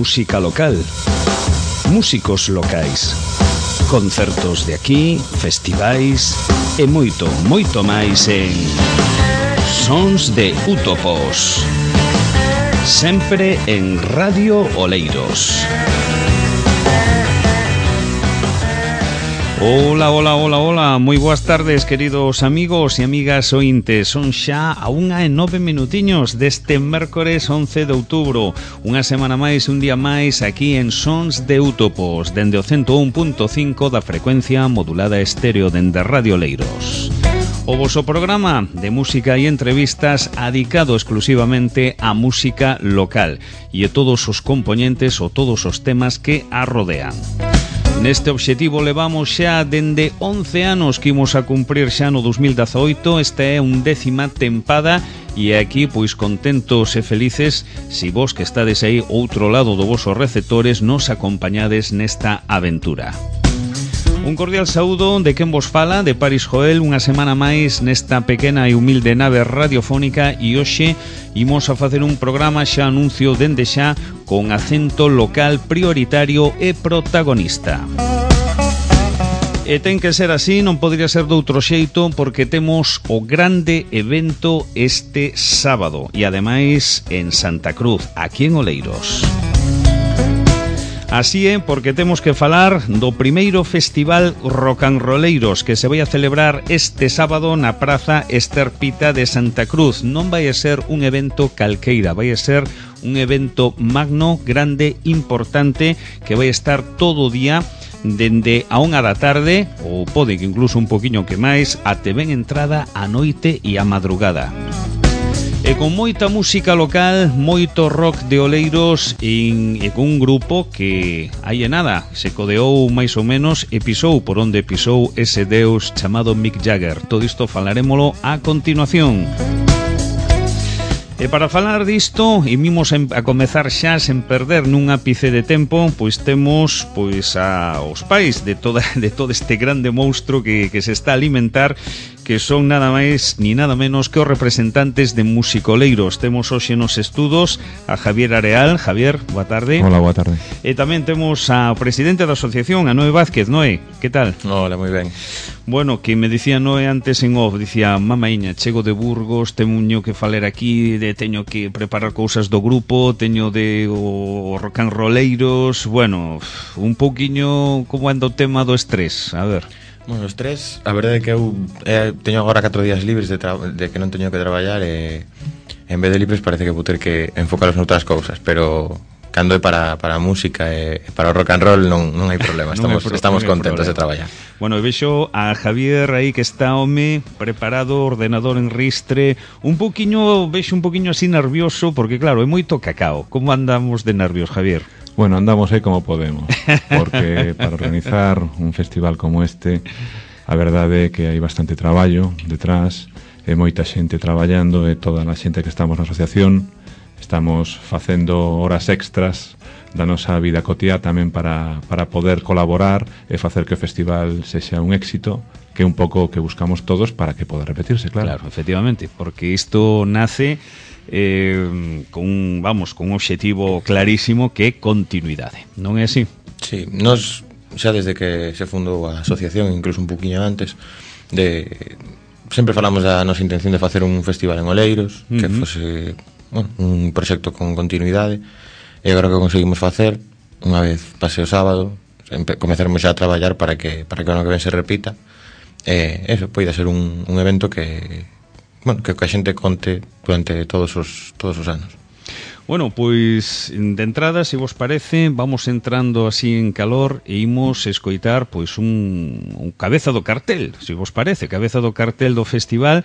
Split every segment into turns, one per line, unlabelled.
música local, músicos locais, concertos de aquí, festivais e moito, moito máis en Sons de Útopos, sempre en Radio Oleiros. Hola, hola, hola, hola, moi boas tardes, queridos amigos e amigas ointes. Son xa a 1:09 deste mércores 11 de outubro. Unha semana máis, un día máis, aquí en Sons de Útopos, dende o 101.5 da frecuencia modulada estéreo dende Radio Oleiros. O voso programa de música e entrevistas adicado exclusivamente á música local e a todos os componentes ou todos os temas que a rodean. Neste obxectivo levamos xa dende 11 anos que imos a cumprir xa no 2018. Esta é 11ª tempada e aquí pois contentos e felices si vos que estades aí outro lado do vosos receptores nos acompañades nesta aventura. Un cordial saúdo de quen vos fala, de Paris Joel, unha semana máis nesta pequena e humilde nave radiofónica e hoxe imos a facer un programa, xa anuncio dende xa, con acento local prioritario e protagonista. E ten que ser así, non podría ser doutro xeito, porque temos o grande evento este sábado e ademais en Santa Cruz, aquí en Oleiros. Así é, porque temos que falar do primeiro festival rocanroleiros que se vai a celebrar este sábado na Praza Ester Pita de Santa Cruz. Non vai a ser un evento calqueira, vai a ser un evento magno, grande, importante, que vai a estar todo o día dende a 1 da tarde, ou pode que incluso un poquinho que máis, até ben entrada a noite e a madrugada. E con moita música local, moito rock de Oleiros e con un grupo que, aí e nada, se codeou máis ou menos e pisou por onde pisou ese deus chamado Mick Jagger. Todo isto falarémolo a continuación. E para falar disto, imos a comezar xa sen perder nun ápice de tempo, pois temos pois aos pais de todo este grande monstro que se está a alimentar, que son nada máis ni nada menos que os representantes de musicoleiros. Temos hoxe nos estudos a Javier Areal. Javier, boa tarde.
Hola, boa tarde.
E tamén temos ao presidente da asociación, a Noé Vázquez. Noé, que tal?
Hola, moi ben.
Bueno, que me dicía Noé antes en off, dicía, mamaiña, chego de Burgos, teño que falar aquí, teño que preparar cousas do grupo, teño de o rocanroleiros, bueno, un pouquiño como anda o tema do estrés, a ver.
Bueno, o estrés, a verdade é que eu teño agora 4 días libres de que non teño que traballar e en vez de libres parece que vou ter que enfocaros noutras cousas, pero cando é para a música e para o rock and roll non hai problema, estamos contentos de traballar.
Bueno, vexo a Javier aí que está home preparado, ordenador en ristre, vexo un poquinho así nervioso, porque claro, é moito cacao. Como andamos de nervios, Javier?
Bueno, andamos aí como podemos, porque para organizar un festival como este, a verdade é que hai bastante traballo detrás, e moita xente traballando, e toda a xente que estamos na asociación estamos facendo horas extras da nosa vida cotiá tamén para poder colaborar e facer que o festival sexa un éxito, que é un pouco o que buscamos todos para que poda repetirse, claro.
Claro, efectivamente, porque isto nace con un obxectivo clarísimo que é continuidade, non é así?
Sí, nos xa desde que se fundou a asociación, incluso un poquinho antes, sempre falamos da nosa intención de facer un festival en Oleiros, que fose un proxecto con continuidade, e agora que conseguimos facer, unha vez pase o sábado, comezaremos xa a traballar para que o ano que ven se repita, e eso poida ser un evento que a xente conte durante todos os anos.
Bueno, pois de entrada, se vos parece, vamos entrando así en calor e imos escoitar pois un cabeza do cartel, se vos parece, cabeza do cartel do festival,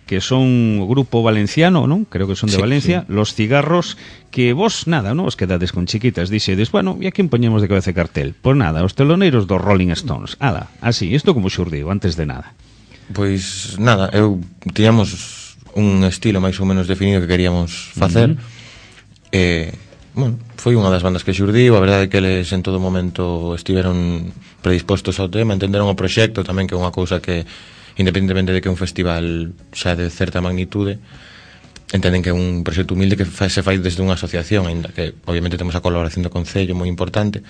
que son o grupo valenciano, non? Creo que son de Valencia, sí. Los Cigarros, que vos, nada, non? Os quedades con chiquitas, dixedes, bueno, e a quen poñemos de cabeza de cartel? Pois nada, os teloneiros dos Rolling Stones. Ala, así, isto como xurdiu, antes de nada.
Pois nada, tiñamos un estilo máis ou menos definido que queríamos facer. Foi unha das bandas que xurdiu, a verdade é que eles en todo momento estiveron predispostos ao tema, entenderon o proxecto tamén, que é unha cousa que independentemente de que é un festival xa de certa magnitude, entenden que é un proxecto humilde que se fai desde unha asociación, ainda que obviamente temos a colaboración do Concello moi importante,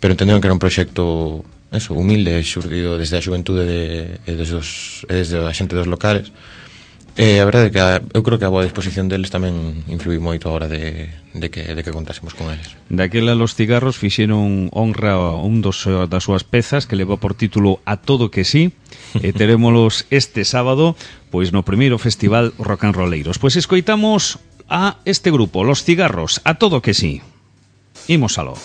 pero entenderon que era un proxecto humilde, xurdido desde a xuventude e desde a xente dos locales. A verdade é que eu creo que a boa disposición deles tamén influí moito a hora de que contásemos con eles.
Daquela Los Cigarros fixeron honra a un das súas pezas que leva por título A Todo Que Sí, e terémolos este sábado pois no primeiro festival Rock and Rolleiros. Pois escoitamos a este grupo, Los Cigarros, A Todo Que Sí. Imos aló.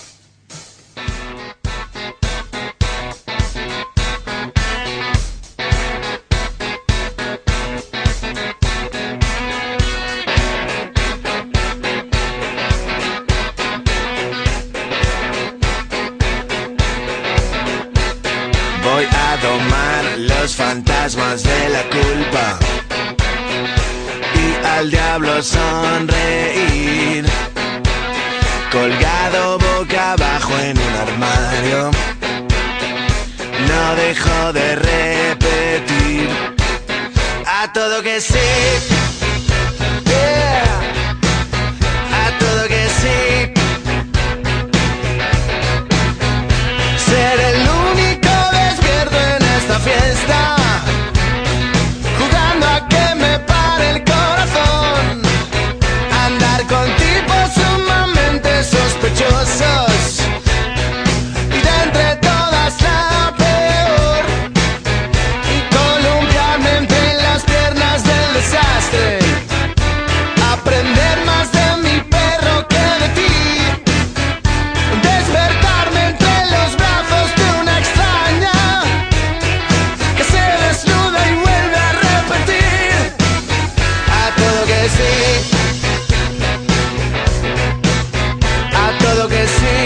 Voy a domar los fantasmas de la culpa y al diablo sonreír, colgado boca abajo en un armario. No dejo de repetir a todo que sí, yeah, a todo que sí. Ser el único despierto en esta fiesta, jugando a que me pare el corazón, andar con tipos sumamente sospechosos y de entre todas la peor, y columpiarme entre las piernas del desastre, aprender más de mi perro que de ti, despertarme entre los brazos de una extraña que se desnuda y vuelve a repetir a todo que sí, a todo que sí.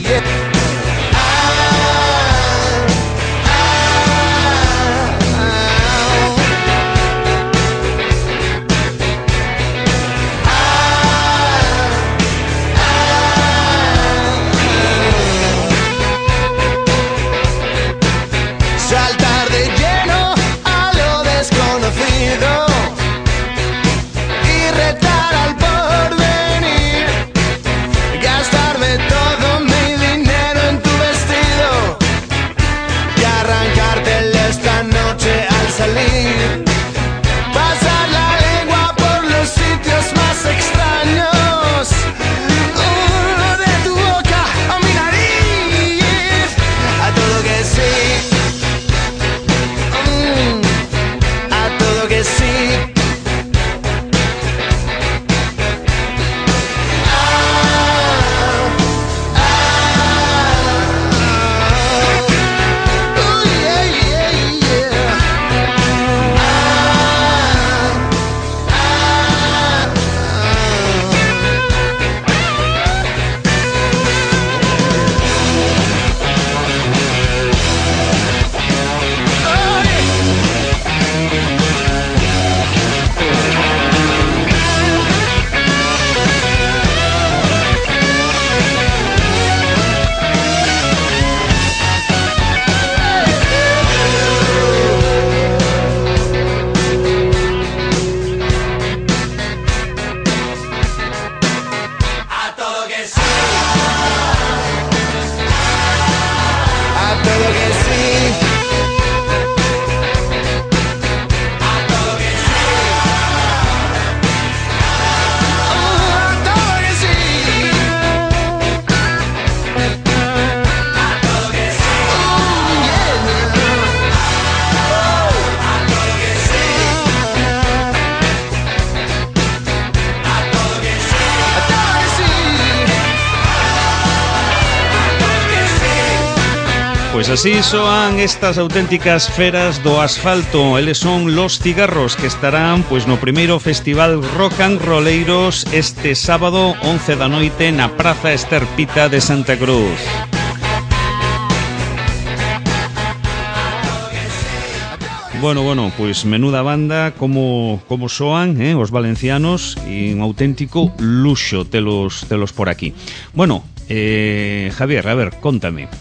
Yeah. Saltar de lleno a lo desconocido y retar al porvenir, gastarme todo mi dinero en tu vestido y arrancártelo esta noche al salir, pasar la lengua por los sitios más extraños, de tu boca a mi nariz, a todo que sí. A todo que sí. Yeah, yeah, yeah. A todo que sí. A todo que sí. A todo que sí. A todo que sí. A todo que sí. Yeah. A todo que sí. A todo que sí. A todo que sí.
Pois así soan estas auténticas feras do asfalto. Eles son Los Cigarros, que estarán pois no primeiro festival Rock and Rolleiros este sábado 11 da noite na Praza Esterpita de Santa Cruz. Bueno, pois menuda banda, como soan, os valencianos, e un auténtico luxo telos por aquí. Bueno, Javier, a ver, contame,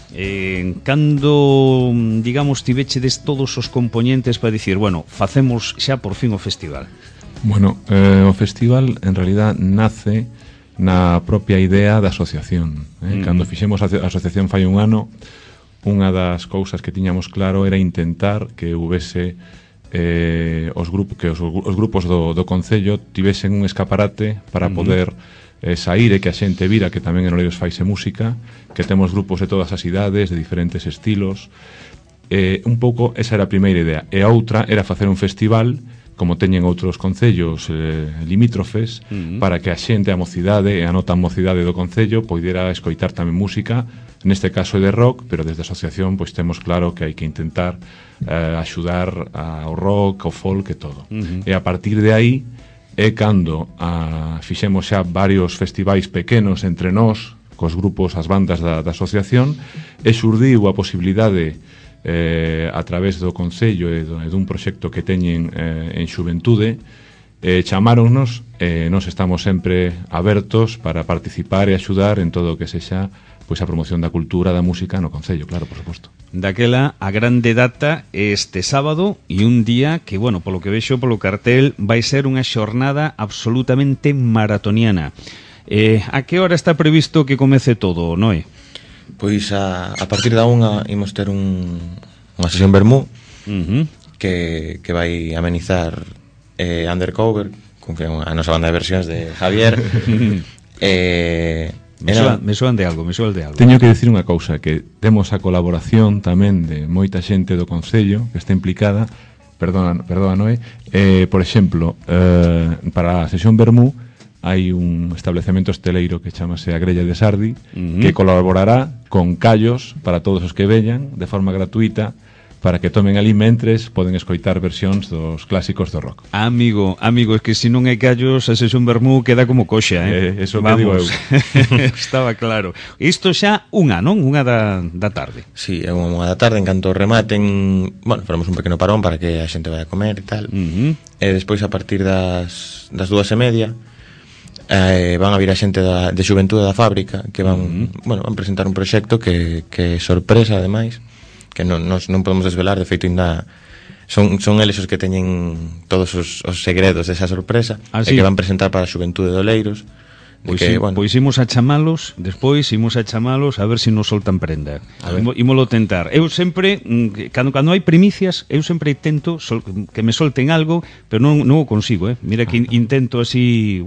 cando, digamos, tivechedes todos os componentes para dicir, bueno, facemos xa por fin o festival?
Bueno, o festival en realidad nace na propia idea da asociación. Cando fixemos a asociación fai un ano, unha das cousas que tiñamos claro era intentar que houvese os grupos do Concello tivesen un escaparate para poder sair e que a xente vira que tamén en Oleiros faise música, que temos grupos de todas as idades, de diferentes estilos. Un pouco esa era a primeira idea. E a outra era facer un festival como teñen outros concellos limítrofes, para que a xente, a mocidade e a nota mocidade do concello poidera escoitar tamén música, neste caso é de rock, pero desde a asociación pois temos claro que hai que intentar axudar ao rock, ao folk e todo. E a partir de aí é cando fixemos xa varios festivais pequenos entre nós, cos grupos, as bandas da asociación, e xurdiu a posibilidade a través do Concello e dun proxecto que teñen en Xuventude, chamáronnos e nós estamos sempre abertos para participar e axudar en todo o que sexa pois a promoción da cultura, da música no Concello, claro, por suposto.
Daquela, a grande data este sábado e un día que, bueno, polo que vexo polo cartel, vai ser unha xornada absolutamente maratoniana. A que hora está previsto que comece todo, Noé?
Pois a partir da unha imos ter unha sesión vermú que vai amenizar Undercover, que é a nosa banda de versións de Javier.
Me soan de algo.
Teño que dicir unha cousa, que temos a colaboración tamén de moita xente do Concello que está implicada, perdona Noé, por exemplo, para a sesión vermú hai un establecemento hosteleiro que chamase a Grella de Sardi, que colaborará con callos para todos os que veñan de forma gratuita, para que tomen ali mentres poden escoitar versións dos clásicos do rock.
Amigo, es que se non hai callos a sesión vermú queda como coxa,
Eso que digo eu.
Estaba claro. Isto xa unha, non? Unha da tarde.
Sí, é unha da tarde, en canto rematen, bueno, faremos un pequeno parón para que a xente vai a comer e tal. E despois a partir das 2:30 van a vir a xente de Xuventude da Fábrica, que van presentar un proxecto que é sorpresa, ademais, que non podemos desvelar, de feito ainda son eles os que teñen todos os segredos desa sorpresa, e que van presentar para a Xuventude de Oleiros.
Pois imos a chamalos, despois imos a chamalos a ver se nos soltan prenda. Ímolo tentar. Eu sempre, cando hai primicias, eu sempre tento que me solten algo, pero non o consigo, Mira que intento así,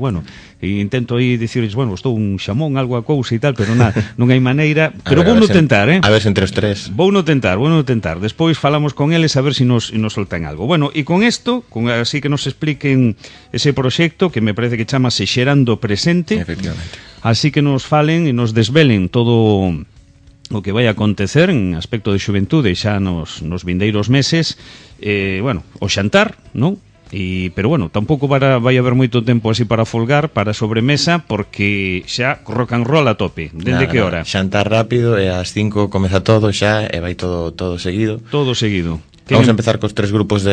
intento aí dicirles, estou un xamón, algo a cousa e tal, pero non hai maneira, pero vou no tentar,
A ver se entre os tres.
Vou no tentar. Despois falamos con eles a ver se nos soltan algo. Bueno, e con isto, así que nos expliquen ese proxecto que me parece que chamase Xerando Presente.
Efectivamente.
Así que nos falen e nos desvelen todo o que vai acontecer en aspecto de xuventude xa nos vindeiros meses. O xantar, non? Pero tampouco vai haber moito tempo así para folgar, para sobremesa, porque xa rock and roll a tope. Dende que hora?
Xantar rápido e ás 5 comeza todo xa e vai todo seguido.
Todo seguido.
Vamos a empezar cos tres grupos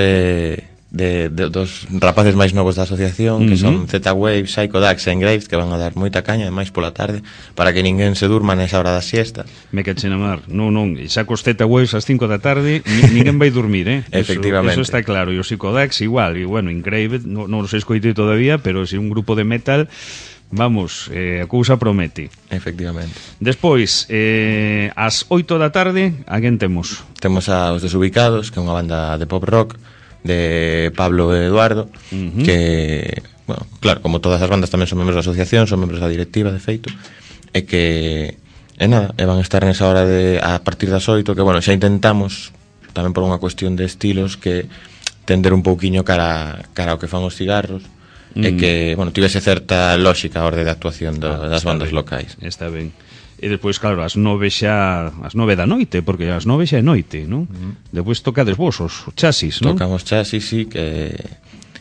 dos rapaces máis novos da asociación, que son Z-Wave, Psycho Dax e Engraves, que van a dar moita caña, máis pola tarde, para que ninguén se durma nesa hora da siesta.
Me cachen a mar. Non, xa cos Z-Waves ás 5 da tarde ninguén vai dormir,
Efectivamente.
Eso está claro. E o Psycho Dax igual, e Engraves non os escoitei todavía, pero se un grupo de metal, vamos, a cousa promete.
Efectivamente.
Despois, ás 8 da tarde, a quen temos?
Temos a Os Desubicados, que é unha banda de pop rock de Pablo e Eduardo, que, claro, como todas as bandas tamén son membros da asociación, son membros da directiva, de feito, e que van a estar nesa hora a partir das 8, que, xa intentamos tamén por unha cuestión de estilos que tender un pouquiño cara ao que fan os cigarros, e que, tivese certa lógica a orde de actuación das bandas locais.
Está ben. E despois, claro, ás 9 da noite, porque ás 9 xa é noite, non? Despois tocades vos os chasis, non?
Tocamos chasis, sí, que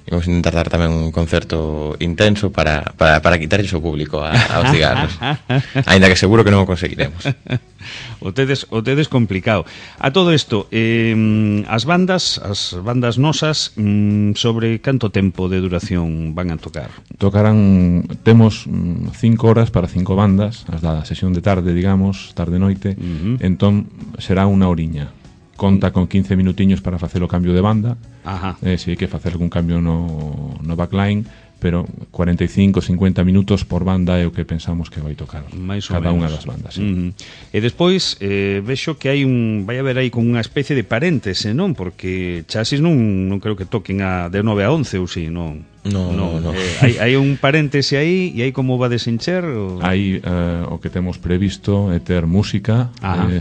Vamos a intentar dar tamén un concerto intenso para quitarlle o público aos cigarros. Ainda que seguro que non o conseguiremos.
O tedes complicado. A todo isto, as bandas nosas, sobre canto tempo de duración van a tocar?
Temos 5 horas para 5 bandas, as da sesión de tarde, digamos, tarde-noite, entón será unha horiña. Conta con 15 minutiños para facer o cambio de banda. Se hai que facer algún cambio no backline, pero 45-50 minutos por banda é o que pensamos que vai tocar cada unha das bandas.
E despois vexo que vai haber aí con unha especie de paréntese, non? Porque Chasis non creo que toquen de 9 a 11 ou si, non?
No.
Hai un paréntese aí e aí como va desencher?
Aí o que temos previsto é ter música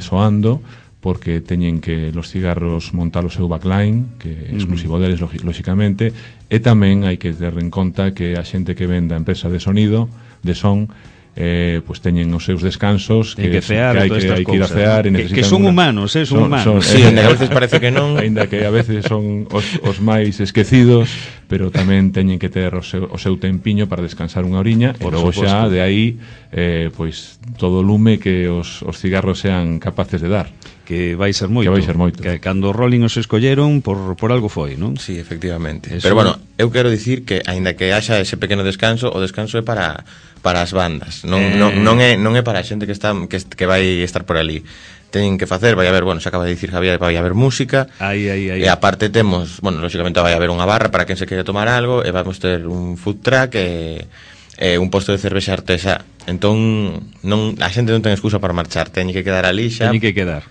soando, porque teñen que los cigarros montar o seu backline, que é exclusivo deles, lóxicamente, e tamén hai que ter en conta que a xente que vende a empresa de sonido, de son, pues teñen os seus descansos, que hai que ir a cear,
que son humanos, son humanos.
Sí, a veces parece que non,
aínda que a veces son os máis esquecidos, pero tamén teñen que ter o seu tempiño para descansar unha oriña, e logo xa de aí pois todo o lume que os cigarros sean capaces de dar.
Que vai ser moito. Que cando Rolling os escolleron por algo foi, non?
Sí, efectivamente. Pero bueno, eu quero dicir que aínda que haxa ese pequeno descanso, o descanso é para as bandas. Non é para a xente que vai estar por ali. Teñen que facer, vai haber, xa acaba de dicir Javier, vai haber música. E aparte temos, lógicamente vai haber unha barra para quen se quere tomar algo, e vamos ter un food truck e un posto de cervexa artesá. Entón, a xente non ten excusa para marchar, teñen que quedar ali xa.
Teñen que quedar.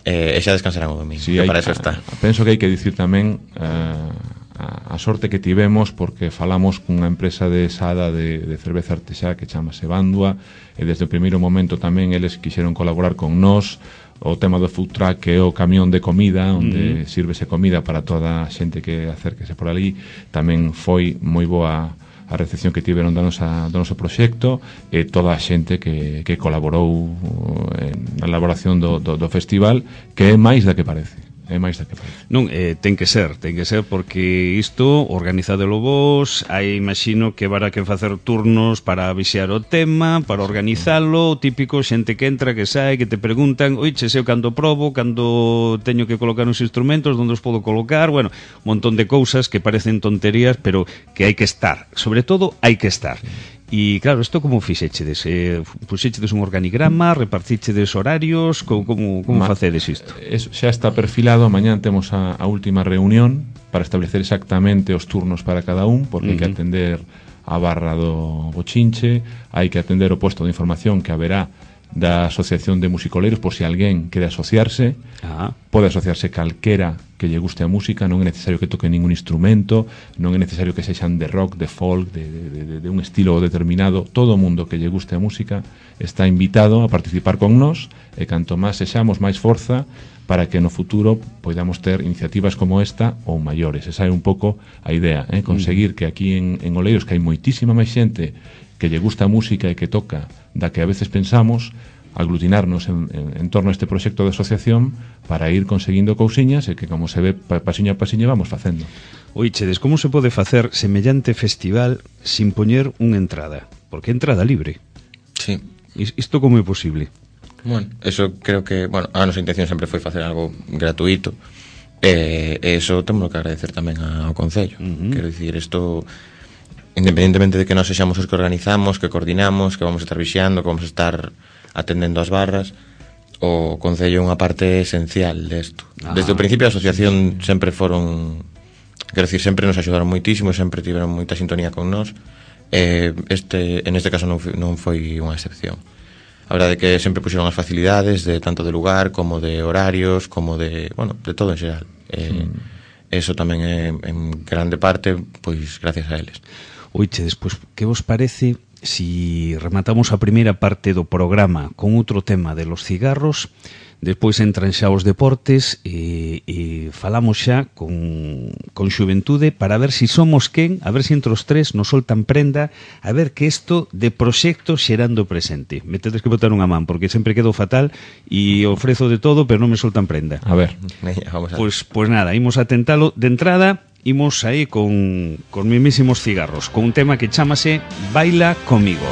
E xa descansarán o domingo,
sí,
que para eso está.
Penso que hai que dicir tamén a sorte que tivemos, porque falamos cunha empresa de sada de cerveza artesá que chamase Bandua, e desde o primeiro momento tamén eles quixeron colaborar con nós. O tema do food truck, que é o camión de comida, onde sírvese comida para toda a xente que acérquese por ali, tamén foi moi boa a recepción que tiveron do noso proxecto, e toda a xente que colaborou na elaboración do festival, que é máis da que parece. Non,
ten que ser, porque isto, organizadelo vos, imagino que haberá que facer turnos para vixiar o tema, para organizalo, típico, xente que entra, que sae, que te preguntan, oiche, eu cando probo, cando teño que colocar uns instrumentos, onde os podo colocar, un montón de cousas que parecen tonterías, pero que hai que estar, sobre todo hai que estar. E claro, isto como fixechedes? Puxechedes un organigrama, repartichedes horarios, como facedes isto?
Xa está perfilado, mañán temos a última reunión para establecer exactamente os turnos para cada un, porque hai que atender a barra do bochinche, hai que atender o puesto de información que haberá da Asociación de Musicoleiros, por se alguén quere asociarse. Pode asociarse calquera que lle guste a música, non é necesario que toque ningún instrumento, non é necesario que sexan de rock, de folk, de un estilo determinado. Todo o mundo que lle guste a música está invitado a participar con nós, e canto máis sexamos, máis forza para que no futuro podamos ter iniciativas como esta ou maiores. Esa é un pouco a idea, conseguir que aquí en Oleiros, que hai moitísima máis xente que lle gusta a música e que toca da que a veces pensamos, aglutinarnos en torno a este proxecto de asociación para ir conseguindo cousiñas, e que, como se ve, pasiño a pasiño vamos facendo.
Oichedes, como se pode facer semellante festival sin poñer unha entrada? Porque é entrada libre.
Sí.
Isto como é posible?
Eso creo que, a nosa intención sempre foi facer algo gratuito, e eso temos que agradecer tamén ao Concello. Quero dicir, isto, independentemente de que nós sexamos os que organizamos, que coordinamos, que vamos a estar vixiando, que vamos a estar atendendo as barras, o Concello é unha parte esencial desto. Desde o principio a asociación sempre foron, quero dicir, sempre nos axudaron moitísimo, sempre tiveron moita sintonía con nós, en este caso non foi unha excepción. A verdade é que sempre puxeron as facilidades, tanto de lugar, como de horarios, como de todo en xeral. Eso tamén é en grande parte pois gracias a eles.
Oiche, despois, que vos parece si rematamos a primeira parte do programa con outro tema de los cigarros, despois entran xa os deportes e falamos xa con xuventude para ver si somos quen, a ver si entre os tres nos soltan prenda, a ver que isto de proxecto xerando presente. Me tedes que botar unha man, porque sempre quedo fatal e ofrezo de todo, pero non me soltan prenda.
A ver.
Pois nada, imos a tentalo de entrada. imos aí con mismísimos cigarros, con un tema que chamase Baila Comigo.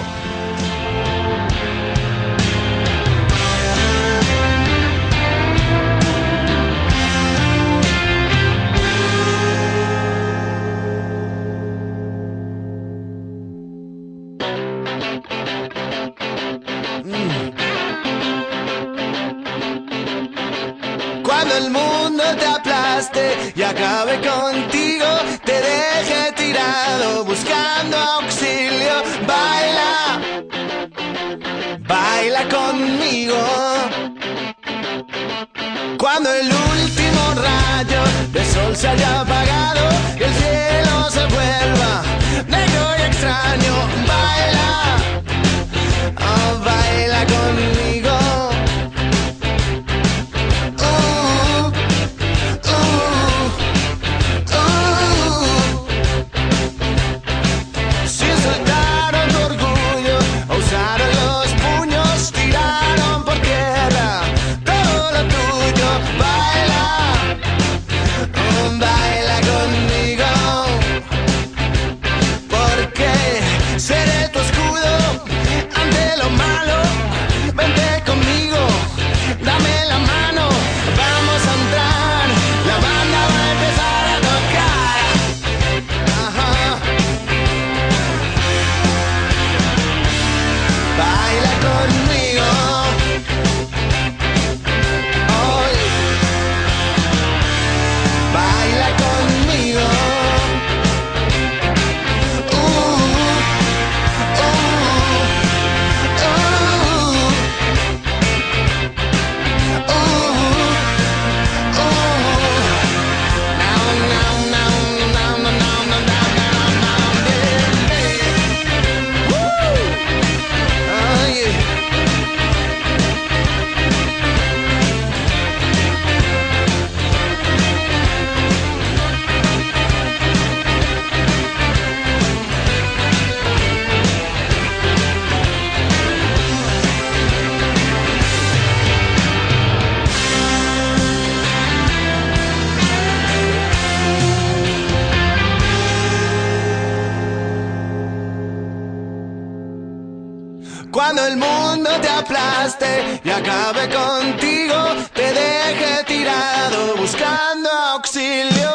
Cuando el mundo te aplaste y acabe contigo, te deje tirado buscando auxilio. Baila, baila conmigo. Cuando el último rayo de sol se haya apagado y el cielo se vuelva negro y extraño, baila, oh, baila conmigo. Cuando el mundo te aplaste y acabe contigo, te deje tirado buscando auxilio.